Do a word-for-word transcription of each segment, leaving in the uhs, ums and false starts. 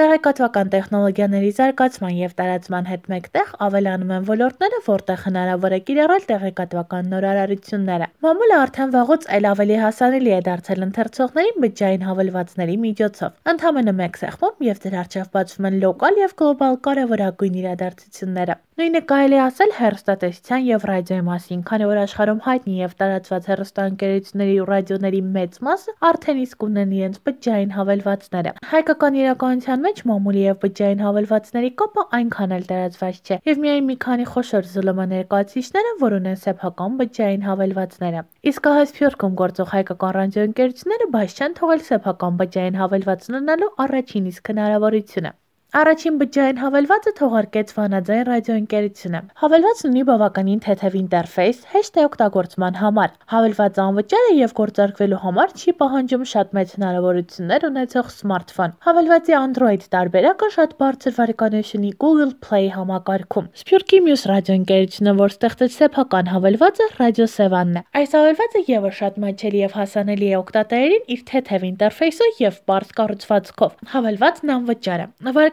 Տեղեկատվական տեխնոլոգիաների զարգացման և տարածման հետ մեկտեղ ավելանում են ոլորտները, որտեղ հնարավոր է կիրառել տեղեկատվական նոր արարությունները։ Մամուլը արդեն վաղուց այլ ավելի հասանելի է դարձել ընթերցողներին բջջային հավելվածների միջոցով։ Ընդամենը մեկ սեղմում և ձեր առջև բացվում են լոկալ և գլոբալ կարևորագույն իրադարձությունները։ Նույնը կարելի է ասել հեռուստատեսության և ռադիոյի մասին, քանի որ աշխարհում հայտնի և տարածված հեռուստաընկերությունների ու ռադիոների մեծ մասը արդեն իսկ ունեն իրենց բջջային հավելվածները։ Հայկական իրականության մեջ մամուլի և բջջային հավելվածների կապը այնքան էլ տարածված չէ, և միայն մի քանի խոշոր ԶԼՄ ներկայացուցիչներ են, որ ունեն սեփական բջջային հավելվածները։ Իսկ ահա Սփյուռքում գործող հայկական ռադիոընկերությունները բաց չեն թողել սեփական բջջային հավելված ունենալու առաջին իսկ հնարավորությունը։ Առաջին բջջային հավելվածը թողարկեց Վանաձայն ռադիոընկերությունը։ Հավելվածն ունի բավականին թեթև ինտերֆեյս, հեշտ է օգտագործման համար։ Հավելվածը անվճար է և գործարկվելու համար չի պահանջում շատ մեծ հնարավորություններ ունեցող սմարթֆոն։ Հավելվածի Android տարբերակը շատ բարձր վարկանիշ ունի Google Play համակարգում։ Սփյուռքի մյուս ռադիոընկերությունը, որ ստեղծեց սեփական հավելվածը, Ռադիո Սևանն է։ Այս հավելվածը ևս շատ մատչելի և հասանելի է օգտատերերին իր թեթև ինտերֆեյսով և պարզ կառուցվածքով։ Հավելվածն անվճար է։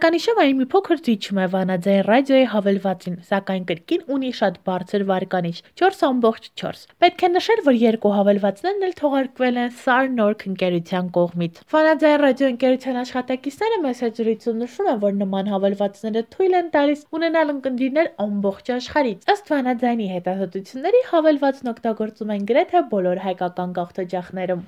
Վարկանիշով այն մի փոքր զիջում է Վանաձայն ռադիոյի հավելվածին, սակայն կրկին ունի շատ բարձր վարկանիշ՝ չորս տասնչորս չորս։ Պետք է նշել, որ երկու հավելվածներն էլ թողարկվել են Սար-Նորք ընկերության կողմից։ Վանաձայն ռադիոընկերության աշխատակիցները մեծ զրույցում նշում են, որ նման հավելվածները թույլ են տալիս ունենալ ունկնդիրներ ամբողջ աշխարհից։ Ըստ Վանաձայնի հետազոտությունների, հավելվածն օգտագործում են գրեթե բոլոր հայկական գաղթօջախներում։